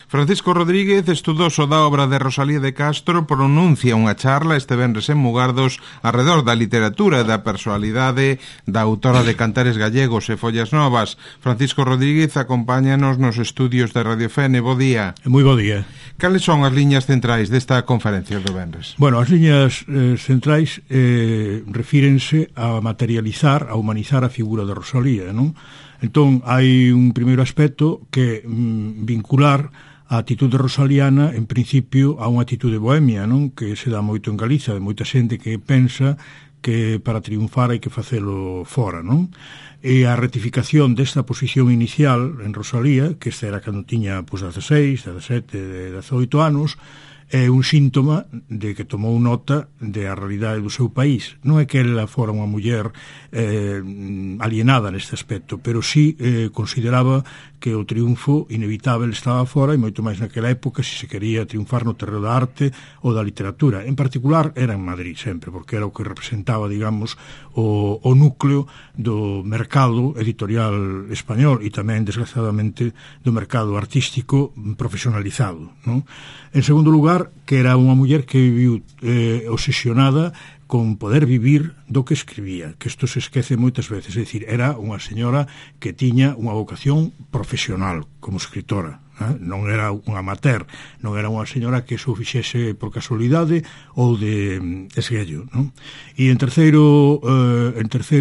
Francisco Rodríguez, estudoso da obra de Rosalía de Castro, pronuncia unha charla este venres en Mugardos arredor da literatura e da personalidade da autora de Cantares Gallegos e Follas Novas. Francisco Rodríguez acompáñanos nos estudios de Radio Fene. Bo día. Moi bo día. Cales son as liñas centrais desta conferencia do venres? Bueno, as liñas centrais refírense a materializar, a humanizar a figura de Rosalía, non? Entón, hai un primeiro aspecto que vincular a atitude rosaliana, en principio, a unha atitude bohemia, non? Que se dá moito en Galiza, de moita xente que pensa que para triunfar hai que facelo fora, non? E a retificación desta posición inicial en Rosalía, que esta era cando tiña 16, 17, 18 anos, é un síntoma de que tomou nota de a realidade do seu país. Non é que ela fora unha muller alienada neste aspecto, pero sí consideraba que o triunfo inevitável estaba fora, e moito máis naquela época se quería triunfar no terreno da arte ou da literatura. En particular era en Madrid sempre, porque era o que representaba, digamos, o núcleo do mercado editorial español e tamén, desgraciadamente, do mercado artístico profesionalizado, non? En segundo lugar, que era unha muller que viviu obsesionada con poder vivir do que escribía, que isto se esquece moitas veces, é dicir, era unha señora que tiña unha vocación profesional como escritora, non era unha amateur, non era unha señora que se o fixese por casualidade ou de esguello, non? E en terceiro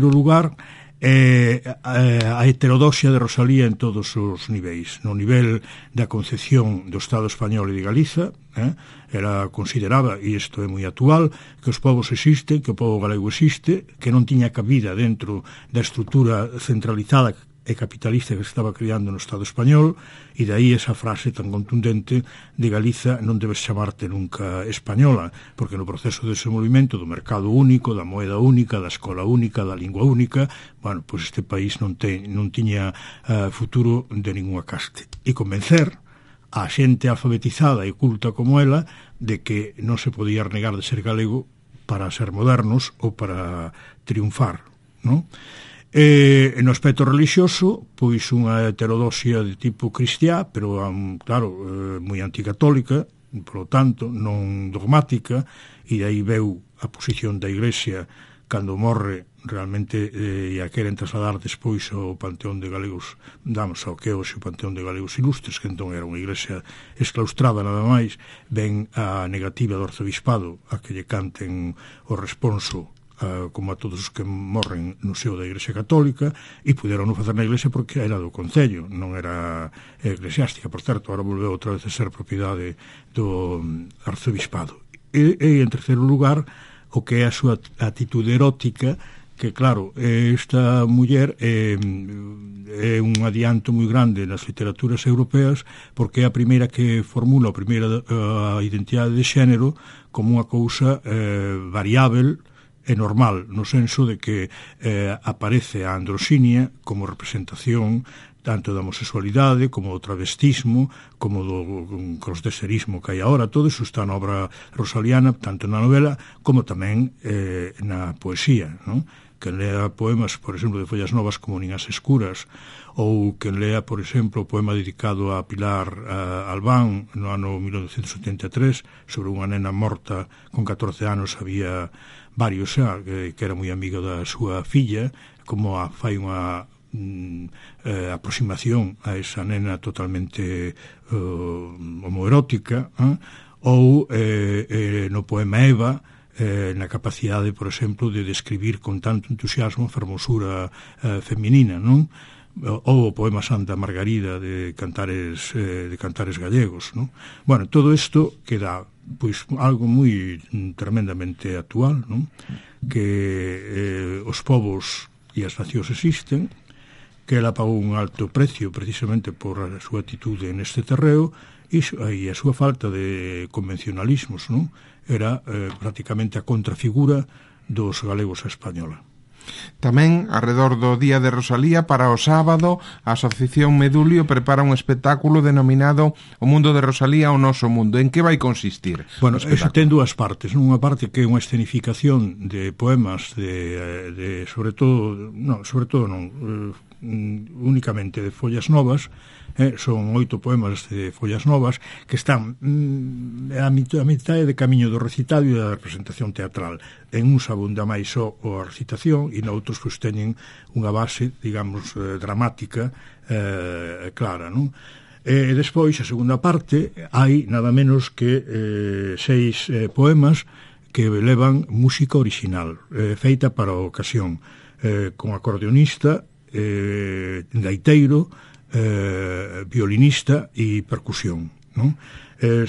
lugar, a heterodoxia de Rosalía en todos os niveis. No nivel da concepción do Estado español e de Galiza, ela consideraba, e isto é moi actual, que os povos existen, que o povo galego existe, que non tiña cabida dentro da estrutura centralizada e capitalista que se estaba creando no Estado español, e dai esa frase tan contundente de Galiza non debes chamarte nunca española, porque no proceso de desenvolvimento do mercado único, da moeda única, da escola única, da lingua única, bueno, pois este país non tiña futuro de ninguna caste. E convencer a xente alfabetizada e culta como ela de que non se podía renegar de ser galego para ser modernos ou para triunfar, non? No aspecto religioso, pois unha heterodoxia de tipo cristiá, pero, claro, moi anticatólica, por lo tanto, non dogmática, e aí veu a posición da Iglesia cando morre realmente e a queren trasladar despois ao Panteón de Galegos, ao que hoxe o Panteón de Galegos Ilustres, que entón era unha iglesia exclaustrada nada máis, ven a negativa do arzobispado a que lle canten o responso como a todos os que morren no seo da Iglesia Católica, e puderon non facer na Iglesia porque era do Concello, non era eclesiástica. Por certo, ahora volveu outra vez a ser propiedade do arzobispado. E en terceiro lugar, o que é a súa atitude erótica, que claro, esta muller é un adianto moi grande nas literaturas europeas, porque é a primeira que formula a primeira identidade de xénero como unha cousa variável é normal, no senso de que aparece a androxinia como representación tanto da homosexualidade, como do travestismo, como do crossdresserismo que hai agora. Todo iso está na obra rosaliana, tanto na novela como tamén na poesía, non? Quen lea poemas, por exemplo, de Follas Novas como Nin as escuras, ou quen lea, por exemplo, o poema dedicado a Pilar Albán no ano 1973 sobre unha nena morta con 14 anos, había varios xa, que era moi amigo da súa filla, como fai unha aproximación a esa nena totalmente homoerótica, ou no poema Eva, na capacidade, por exemplo, de describir con tanto entusiasmo a fermosura feminina, non? Ou o poema Santa Margarida de Cantares Gallegos, non? Bueno, todo isto queda pois algo moi tremendamente actual, non? Que os povos e as nacións existen, que ela pagou un alto precio precisamente por a súa atitude neste terreo e a súa falta de convencionalismos, non? Era prácticamente a contrafigura dos galegos a española. Tamén, arredor do Día de Rosalía, para o sábado, a Asociación Medulio prepara un espectáculo denominado O Mundo de Rosalía, o Noso Mundo. En que vai consistir? Bueno, eso ten dúas partes. Unha parte que é unha escenificación de poemas únicamente de Follas Novas, son 8 poemas de Follas Novas que están a mitad de camiño do recitado e da representación teatral. En uns abunda máis só a recitación e noutros pois teñen unha base, digamos, dramática clara, non? E despois, a segunda parte, hai nada menos que 6 poemas que levan música original, feita para a ocasión, con acordeonista, gaiteiro, violinista e percusión, non?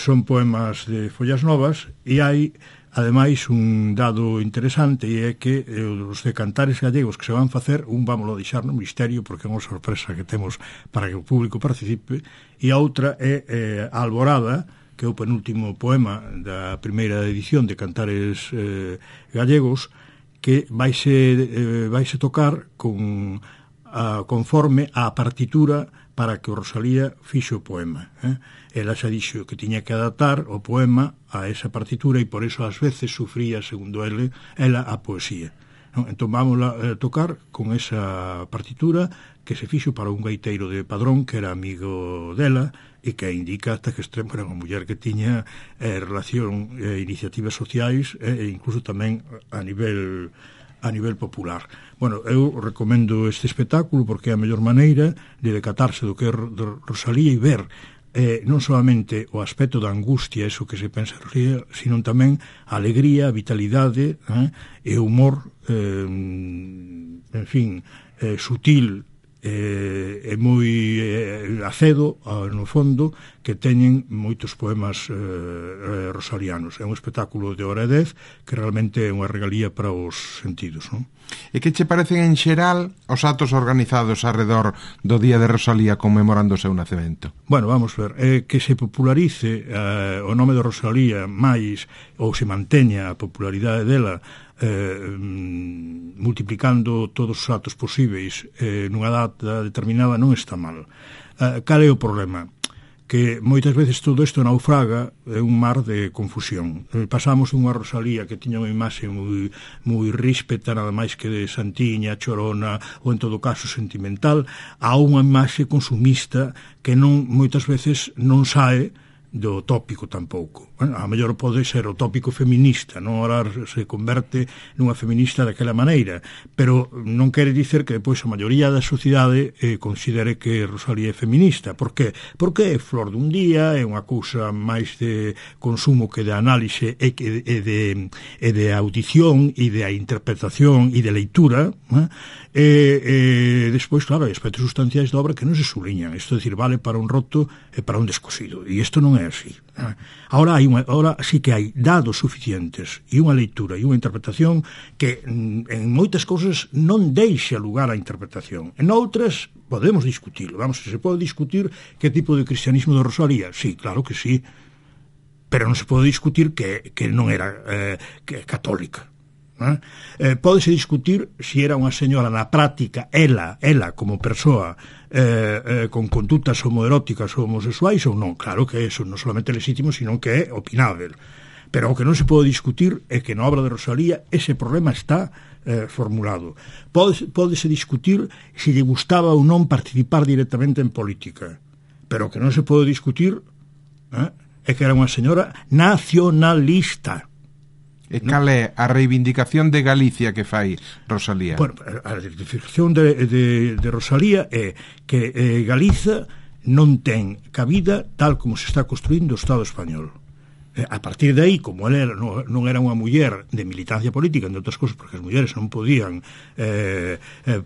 Son poemas de Follas Novas e hai ademais un dado interesante e é que os de cantares gallegos que se van facer, vámoslo deixar no misterio porque é unha sorpresa que temos para que o público participe, e a outra é a Alborada, que é o penúltimo poema da primeira edición de Cantares Gallegos, que vaise tocar conforme a partitura para que o Rosalía fixo o poema. Ela xa dixo que tiña que adaptar o poema a esa partitura e por eso ás veces sufría, segundo ela a poesía. Entón vamos a tocar con esa partitura que se fixo para un gaiteiro de Padrón que era amigo dela e que indica hasta que extremo era unha muller que tiña relación, iniciativas sociais e incluso tamén a nivel popular. Bueno, eu recomendo este espectáculo porque é a mellor maneira de decatarse do que é Rosalía e ver non solamente o aspecto da angustia, eso que se pensa Rosalía, sino tamén a alegría, a vitalidade e o humor, en fin, sutil e moi acedo no fondo, que teñen moitos poemas rosalianos. É un espectáculo de hora e 10 que realmente é unha regalía para os sentidos, non? E que che parecen en xeral os actos organizados arredor do Día de Rosalía conmemorando o seu nacemento? Bueno, vamos ver, que se popularice o nome de Rosalía máis, ou se manteña a popularidade dela multiplicando todos os actos posíveis nunha data determinada non está mal. Cal é o problema? Que moitas veces todo isto naufraga é un mar de confusión. Pasamos unha Rosalía que tiña unha imaxe moi ríspeta, nada máis que de santiña, chorona ou en todo caso sentimental, a unha imaxe consumista que moitas veces non sae do tópico tampouco. Bueno, a mellor pode ser o tópico feminista, non ahora se converte nunha feminista daquela maneira, pero non quere dicer que depois a maioría da sociedade considere que Rosalía é feminista. Por qué? Porque é flor dun día, é unha cousa máis de consumo que de análise e de audición e de interpretación e de leitura, e despois, claro, hai aspectos sustanciais da obra que non se subliñan. Isto é dicir, vale para un roto e para un descosido, e isto non é así. Ahora sí que hai dados suficientes e unha leitura e unha interpretación que en moitas cousas non deixa lugar á interpretación. En outras podemos discutirlo. Vamos, se pode discutir que tipo de cristianismo de Rosalía. Sí, claro que sí, pero non se pode discutir que non era católica. Pódese discutir se era unha señora na práctica, ela como persoa con conductas homoeróticas ou homosexuais ou non. Claro que eso non solamente é legítimo, sino que é opinável. Pero o que non se pode discutir é que na obra de Rosalía ese problema está formulado. Pódese discutir se lle gustaba ou non participar directamente en política, pero o que non se pode discutir é que era unha señora nacionalista. E cal é a reivindicación de Galicia que fai Rosalía? Bueno, a reivindicación de Rosalía é que Galiza non ten cabida tal como se está construindo o Estado español. A partir de aí, como ela non era unha muller de militancia política, entre outras cousas, porque as mulleres non podían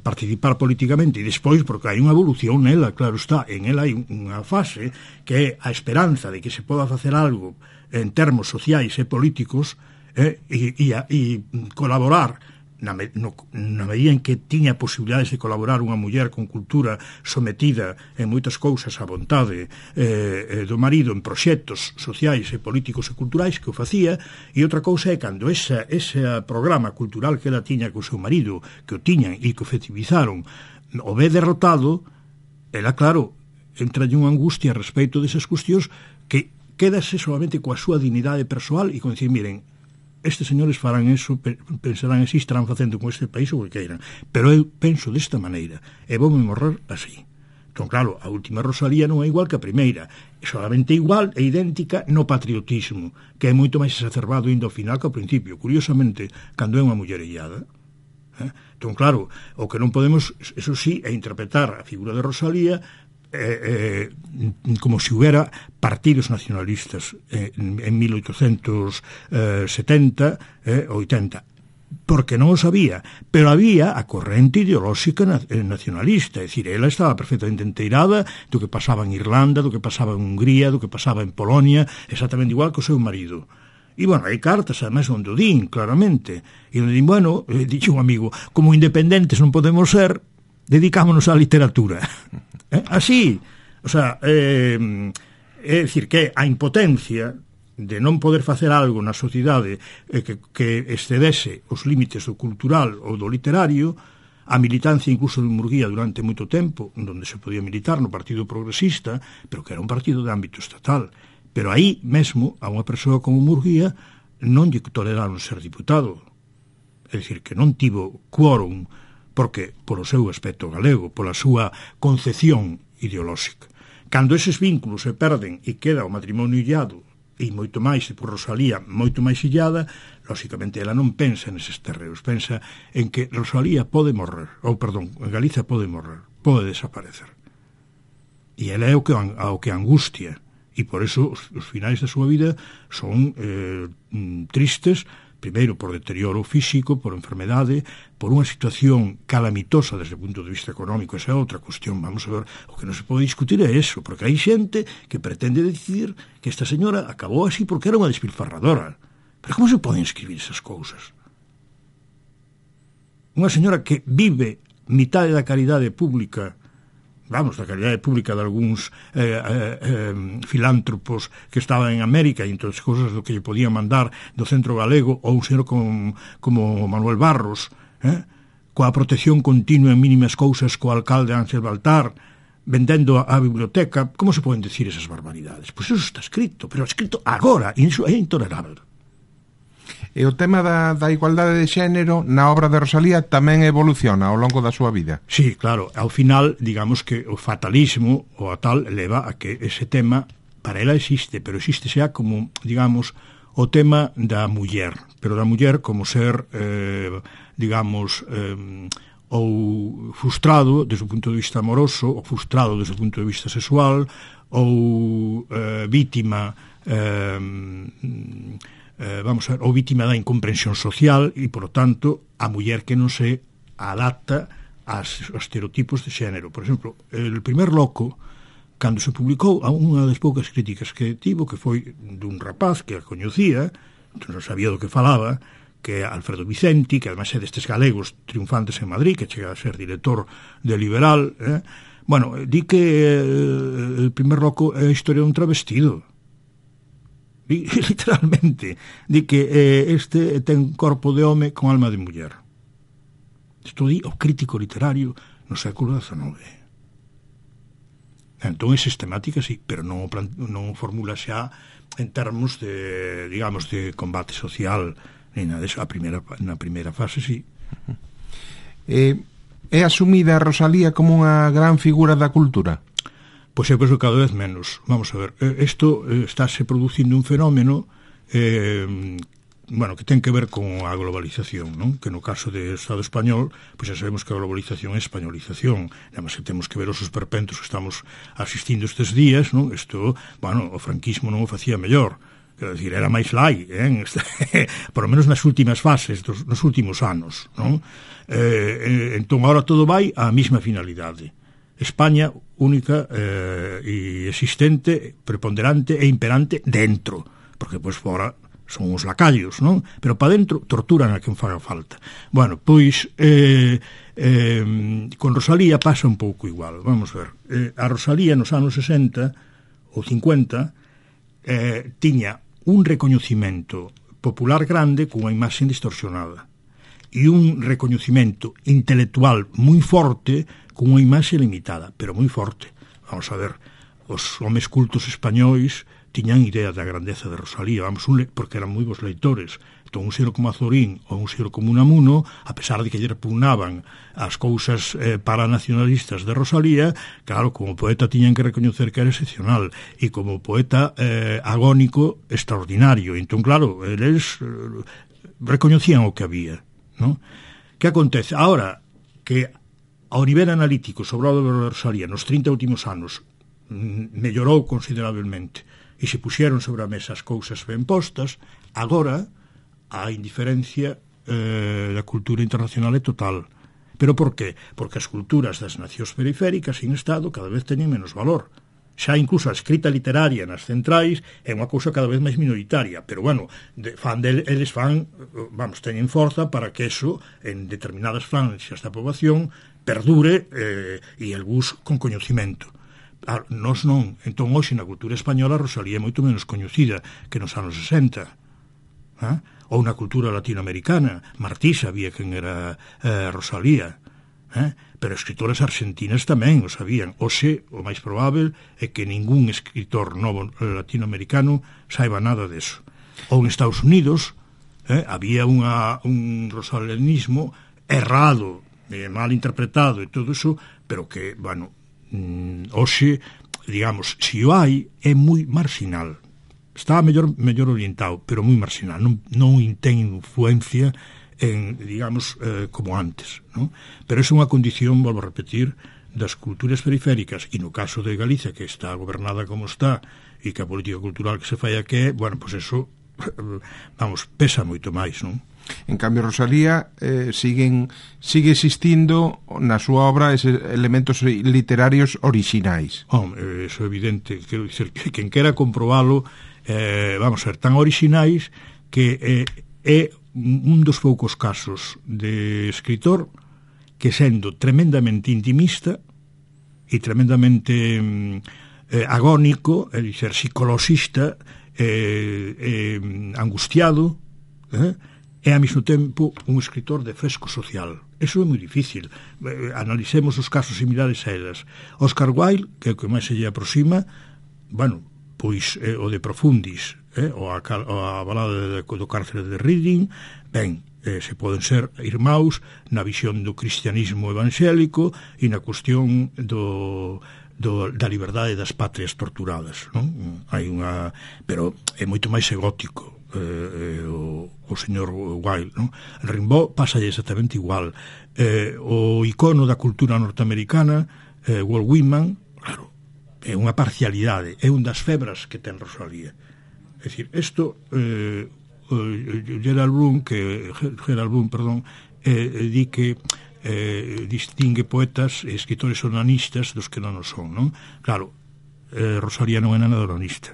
participar políticamente, e despois, porque hai unha evolución nela, claro está, en ela hai unha fase que é a esperanza de que se poda facer algo en termos sociais e políticos, e colaborar na medida en que tiña posibilidades de colaborar unha muller con cultura sometida en moitas cousas á vontade do marido en proxectos sociais e políticos e culturais que o facía, e outra cousa é cando ese programa cultural que ela tiña co seu marido, que o tiñan e que o efectivizaron, o ve derrotado, ela, claro, entra en unha angustia a respecto desas cuestións que quedase solamente coa súa dignidade persoal e con dicir, miren, estes señores farán eso, pensarán así, estarán facendo con este país o que queiran, pero eu penso desta maneira e voume morrer así. Entón, claro, a última Rosalía non é igual que a primeira, é solamente igual e idéntica no patriotismo, que é moito máis exacerbado indo ao final que ao principio, curiosamente, cando é unha mullerellada. Entón, claro, o que non podemos, eso sí, é interpretar a figura de Rosalía como se houbera partidos nacionalistas en 1870 80, porque non o sabía, pero había a corrente ideolóxica nacionalista, é dicir, ela estaba perfectamente enteirada do que pasaba en Irlanda, do que pasaba en Hungría, do que pasaba en Polonia, exactamente igual que o seu marido. E, bueno, hai cartas, además, onde o din, claramente, e onde din, bueno, dixe un amigo, como independentes non podemos ser, dedicámonos á literatura. Así, o sea, é dicir, que a impotencia de non poder facer algo na sociedade que excedese os límites do cultural ou do literario, a militancia incluso de Murguía durante moito tempo, onde se podía militar no Partido Progresista, pero que era un partido de ámbito estatal. Pero aí mesmo, a unha persoa como Murguía non lle toleraron ser diputado. É dicir, que non tivo quórum, porque polo seu aspecto galego, pola súa concepción ideolóxica. Cando eses vínculos se perden e queda o matrimonio illado, e moito máis, e por Rosalía moito máis illada, lóxicamente ela non pensa neses terreos, pensa en que Rosalía pode morrer, ou perdón, Galiza pode morrer, pode desaparecer. E ela é o que angustia, e por eso os finais da súa vida son tristes, primeiro por deterioro físico, por enfermedade, por unha situación calamitosa desde o punto de vista económico. Esa é outra cuestión, vamos a ver, o que non se pode discutir é eso, porque hai xente que pretende decidir que esta señora acabou así porque era unha despilfarradora. Pero como se poden escribir esas cousas? Unha señora que vive mitade da caridade pública, vamos, da caridade pública de algúns filántropos que estaban en América e entonces cousas do que lle podían mandar do Centro Galego, ou un señor como Manuel Barros, coa protección continua en mínimas cousas co alcalde Ángel Baltar, vendendo a biblioteca. Como se poden decir esas barbaridades? Pois eso está escrito, pero escrito agora, e iso é intolerable. E o tema da igualdade de xénero na obra de Rosalía tamén evoluciona ao longo da súa vida. Sí, claro, ao final, digamos que o fatalismo ou a tal leva a que ese tema para ela existe, pero existe xa como, digamos, o tema da muller, pero da muller como ser, digamos, ou frustrado desde o punto de vista amoroso, ou frustrado desde o punto de vista sexual, ou vítima, vamos a ver, ou vítima da incomprensión social e, por lo tanto, a muller que non se adapta aos estereotipos de xénero. Por exemplo, El primer loco, cando se publicou, a unha das poucas críticas que tivo, que foi dun rapaz que a coñecía, non sabía do que falaba, que é Alfredo Vicenti, que además é destes galegos triunfantes en Madrid, que chega a ser director de Liberal, bueno, di que El primer loco é a historia dun travestido. Literalmente, di que este ten corpo de home con alma de muller. Isto di o crítico literario no século XIX. Entón é sistemática, sí, pero non formula xa en termos de, digamos, de combate social, nem nada deso. Na primeira fase, sí. É asumida a Rosalía como unha gran figura da cultura? Pois eu penso cada vez menos. Vamos a ver, isto estáse producindo un fenómeno bueno, que ten que ver con a globalización, non? Que no caso do Estado español, pois xa sabemos que a globalización é españolización, además que temos que ver os esperpentos que estamos asistindo estes días, non? Isto, bueno, o franquismo non o facía mellor, quero dicir, era máis lai, por lo menos nas últimas fases, nos últimos anos, non? Entón, agora todo vai á mesma finalidade. España única e existente, preponderante e imperante dentro, porque pois fora son os lacallos, non? Pero para dentro torturan a quen faga falta. Bueno, pois con Rosalía pasa un pouco igual, vamos ver. A Rosalía nos anos 60 ou 50 tiña un recoñecimento popular grande cunha imaxe distorsionada e un recoñecimento intelectual moi forte cunha imaxe limitada, pero moi forte. Vamos a ver, os homes cultos españois tiñan idea da grandeza de Rosalía, vamos, porque eran moi bons leitores. Entón, un xero como Azorín ou un xero como Unamuno, a pesar de que lle repugnaban as cousas paranacionalistas de Rosalía, claro, como poeta tiñan que recoñecer que era excepcional, e como poeta agónico extraordinario. Entón, claro, eles recoñecían o que había, non? Que acontece? Ahora que ao nivel analítico sobre a obra de Rosalía nos 30 últimos anos mellorou considerablemente e se puxeron sobre a mesa as cousas ben postas, agora a indiferencia da cultura internacional é total. Pero por qué? Porque as culturas das nacións periféricas sin Estado cada vez teñen menos valor. Xa incluso a escrita literaria nas centrais é unha cousa cada vez máis minoritaria, pero bueno, eles teñen forza para que eso en determinadas franxas da poboación perdure e algúns con coñecimento. Nós non. Entón, hoxe na cultura española Rosalía é moito menos coñecida que nos anos 60. Ou na cultura latinoamericana, Martí sabía quen era Rosalía, pero escritores argentinas tamén o sabían. Hoxe, o máis probável é que ningún escritor novo latinoamericano saiba nada deso. Ou en Estados Unidos había un rosalianismo errado, mal interpretado e todo iso, pero que, bueno, hoxe, digamos, se o hai, é moi marginal. Está mellor orientado, pero moi marginal, non ten influencia en, digamos, como antes, non? Pero é unha condición, volvo a repetir, das culturas periféricas, e no caso de Galicia, que está gobernada como está, e que a política cultural que se fai aquí, bueno, pois eso, vamos, pesa moito máis, non? En cambio, Rosalía sigue existindo na súa obra eses elementos literarios orixinais. Eso é evidente, quero dizer que quen quera comprobalo, vamos a ser tan orixinais que é un dos poucos casos de escritor que sendo tremendamente intimista e tremendamente agónico, é dizer, psicoloxista, angustiado, e ao mesmo tempo un escritor de fresco social. Eso é moi difícil. Analicemos os casos similares a elas. Oscar Wilde, que é o que máis se lle aproxima, bueno, pois o de Profundis, ou a balada do cárcere de Reading, ben, se poden ser irmãos na visión do cristianismo evangélico e na cuestión da liberdade das patrias torturadas, non? Pero é moito máis egótico o señor Wilde, non? Rimbaud pasa exactamente igual. O icono da cultura norteamericana, Walt Whitman, claro, é unha parcialidade, é un das febras que ten Rosalía. É dicir, isto Gerald Bloom, di que distingue poetas e escritores onanistas dos que non o son, non? Claro, Rosalía non é nada onanista.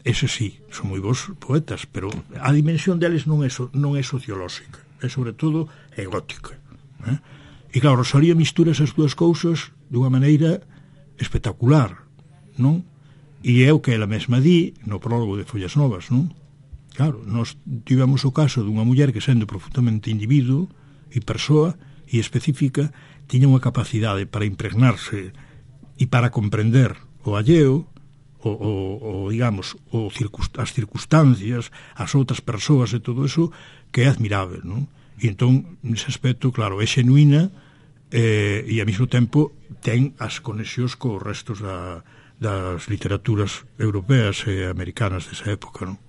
Ese sí, son moi bons poetas, pero a dimensión deles non é sociolóxica, é sobre todo egótica. E claro, Rosalía mistura esas dúas cousas dunha maneira espectacular, non? E é o que ela mesma di no prólogo de Follas Novas, non? Claro, nós tivemos o caso dunha muller que, sendo profundamente individuo e persoa e específica, tiña unha capacidade para impregnarse e para comprender o alleo, digamos, as circunstancias, as outras persoas e todo eso, que é admirável, non? E entón, nese aspecto, claro, é xenuína e ao mesmo tempo ten as conexións co restos das literaturas europeas e americanas desa época, non?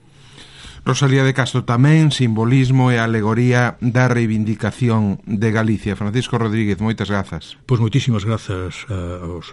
Rosalía de Castro tamén, simbolismo e alegoría da reivindicación de Galicia. Francisco Rodríguez, moitas grazas. Pois moitísimas grazas a vos.